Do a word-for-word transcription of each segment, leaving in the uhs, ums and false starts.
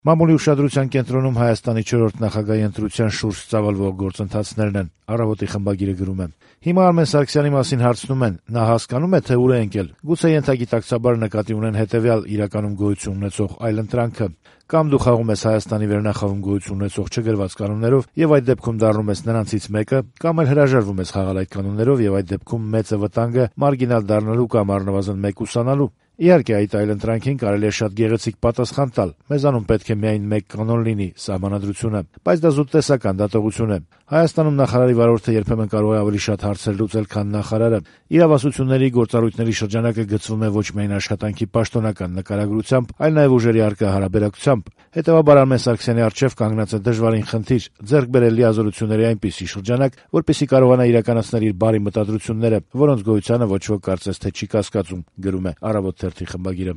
Մամուլի ուշադրության կենտրոնում Հայաստանի չորրորդ նախագահի ընտրության շուրջ ծավալվող գործընթացներն են, «Առավոտ»-ի խմբագիրը գրում է. Հիմա Արմեն Սարգսյանի մասին հարցնում են, նա հասկանում է, թե ուր է ընկել, գուցե ենթագիտակցաբար նկատի ունեն հետեւյալ իրականում գոյություն ունեցող այլընտրանքը. կամ դու խաղում ես Հայաստանի վերնախավում գոյություն ունեցող չգրված կանոններով եւ այդ դեպքում դառնում ես նրանցից մեկը, կամ էլ հրաժարվում ես խաղալ այդ կանոններով եւ այդ դեպքում մեծ է վտանգը մարգինալ դառնալու կամ առնվազն մեկուսանալու։ Իհարկե, այդ այլընտրանքին կարելի է շատ գեղեցիկ պատասխան տալ. մեզանում պետք է միայն մեկ կանոն լինի՝ սահմանադրությունը, բայց դա զուտ տեսական դատողություն է։ Հայաստանում նախարարի վարորդը երբեմն կարող է ավելի շատ հարցեր լուծել, քան նախարարը։ Իրավասությունների գործառույթների շրջանակը գծվում է ոչ միայն աշխատանքի պաշտոնական նկարագրությամբ, այլ նաեւ ուժերի առկա հարաբերակցությամբ։ Հետեւաբար Արմեն Սարգսյանի առջեւ կանգնած է դժվարին խնդիր՝ ձեռք բերել լիազորությունների այնպիսի շրջանակ, որպեսզի կարողանա իրականացնել իր բարի մտադրությունները, որոնց գոյությանը ոչ ոք կարծես թե չի կասկածում, գրում է «Առավոտ» թերթի խմբագիրը։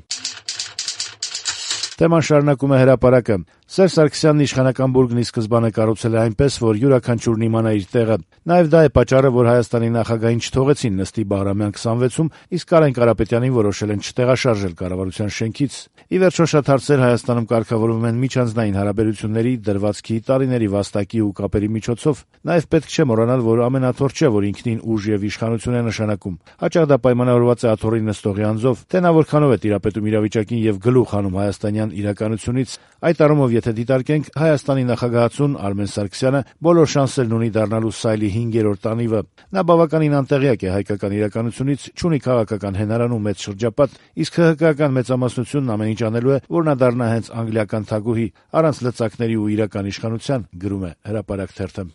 Թեման շարունակում է «Հրապարակը»։ Սերժ Սարգսյանն իշխանական բուրգն ի սկզբանե կառուցել է այնպես, որ յուրաքանչյուրն իմանա իր տեղը։ Նաեւ դա է պատճառը, որ Հայաստանի նախագահին չթողեցին նստի Բաղրամյան քսանվեցում, իսկ Կարեն Կարապետյանին որոշել են չտեղաշարժել կառավարության շենքից։ Ի վերջո շատ հարցեր Հայաստանում կարգավորվում են միջանձնային հարաբերությունների, դրվածքի, տարիների վաստակի ու կապերի միջոցով։ Նաեւ պետք չէ մոռանալ, որ ամենաթորը չէ, որ ինքնին ուժ եւ իշխանություն է նշանակում։ Հաճախ դա պայմանավորված է աթոռի նստողի անձով, թե նա որքանով է տիրապետում իրավիճակին եւ գլուխ հանում հայաստանյան իրականությունից։ Այդ առումով, եթե դիտարկենք, Հայաստանի նախագահացուն Արմեն Սարգսյանը բոլոր շանսերն ունի դառնալու սայլի հինգերորդ անիվը։ Նա բավականին անտեղյակ է հայկական իրականությունից, չունի քաղաքական հենարան ու մեծ շրջապատ, իսկ ՀՀԿ-ական մեծամասնությունն ամեն ինչ անելու է, որ նա դառնա հենց անգլիական թագուհի, առանց լծակների ու իրական իշխանության, գրում է «Հրապարակ» թերթը։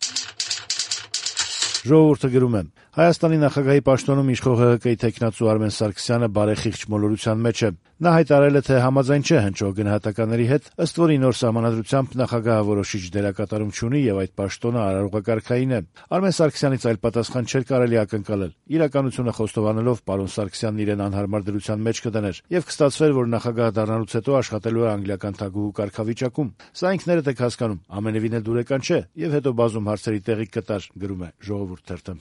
«Ժողովուրդ»-ը գրում է. Հայաստանի նախագահի պաշտոնում իշխող ՀՀԿ-ի թեկնածու Արմեն Սարգսյանը բարեխիղճ մոլորության մեջ է։ Նա հայտարարել է, թե համաձայն չէ հնչող գնահատականների հետ, ըստ որի նոր սահմանադրությամբ նախագահը որոշիչ դերակատարում չունի եւ այդ պաշտոնը արարողակարգային է։ Արմեն Սարգսյանից այլ պատասխան չէր կարելի ակնկալել։ Իրականությունը խոստովանելով պարոն Սարգսյանն իրեն անհարմար դրության մեջ կդներ եւ կստացվեր, որ նախագահ դառնալուց հետո աշխատելու է անգլիական թագուհու կարգավիճակում։ Սա ինքներդ եք հասկանում, ամենևին էլ դուրեկան չէ եւ հետո բազում հարցերի տեղիք կտար, գրում է «Ժողովուրդ» թերթը։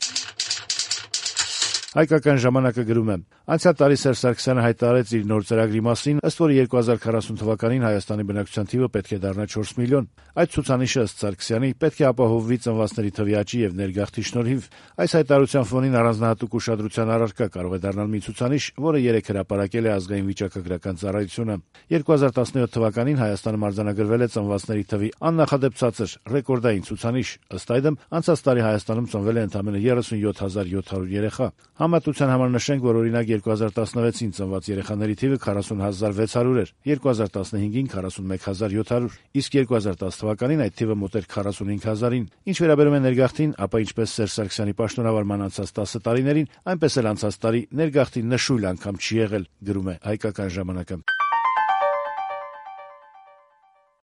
Հայկական ժամանակը գրում է. Անցյալ տարի Սերժ Սարգսյանը հայտարարեց իր նոր ծրագրի մասին, ըստ որի երկու հազար քառասուն թվականին Հայաստանի բնակչության թիվը պետք է դառնա չորս միլիոն։ Այդ ցուցանիշը ըստ Սարգսյանի պետք է ապահովվի ծնվածների թվի աճի եւ ներգաղթի շնորհիվ։ Այս հայտարարության ֆոնին առանձնահատուկ ուշադրության առարկա կարող է դառնալ մի ցուցանիշ, որը երեք հրապարակել է ազգային վիճակագրական ծառայությունը։ երկու հազար տասնյոթ թվականին Հայաստանում արձանագրվել է ծնվածների թվի աննախադեպ ցածր ռեկորդային ցուցանիշ։ Ըստ այդմ, անցած տարի Հայաստանում ծնվել է ընդամենը երեսունյոթ հազար յոթ հարյուր երեխա։ Համատության համար նշենք, որ օրինակ երկու հազար տասնվեցին ծնված երեխաների թիվը քառասուն հազար վեց հարյուր էր, երկու հազար տասնհինգին քառասունմեկ հազար յոթ հարյուր, իսկ երկու հազար տասը թվականին այդ թիվը մոտ էր քառասունհինգ հազարին։ Ինչ վերաբերում է ներգաղթին, ապա ինչպես Սերժ Սարգսյանի պաշտոնավարման անցած տասը տարիներին, այնպես էլ անցած տարի ներգաղթի նշույլ անգամ չի եղել, գրում է Հայկական ժամանակը։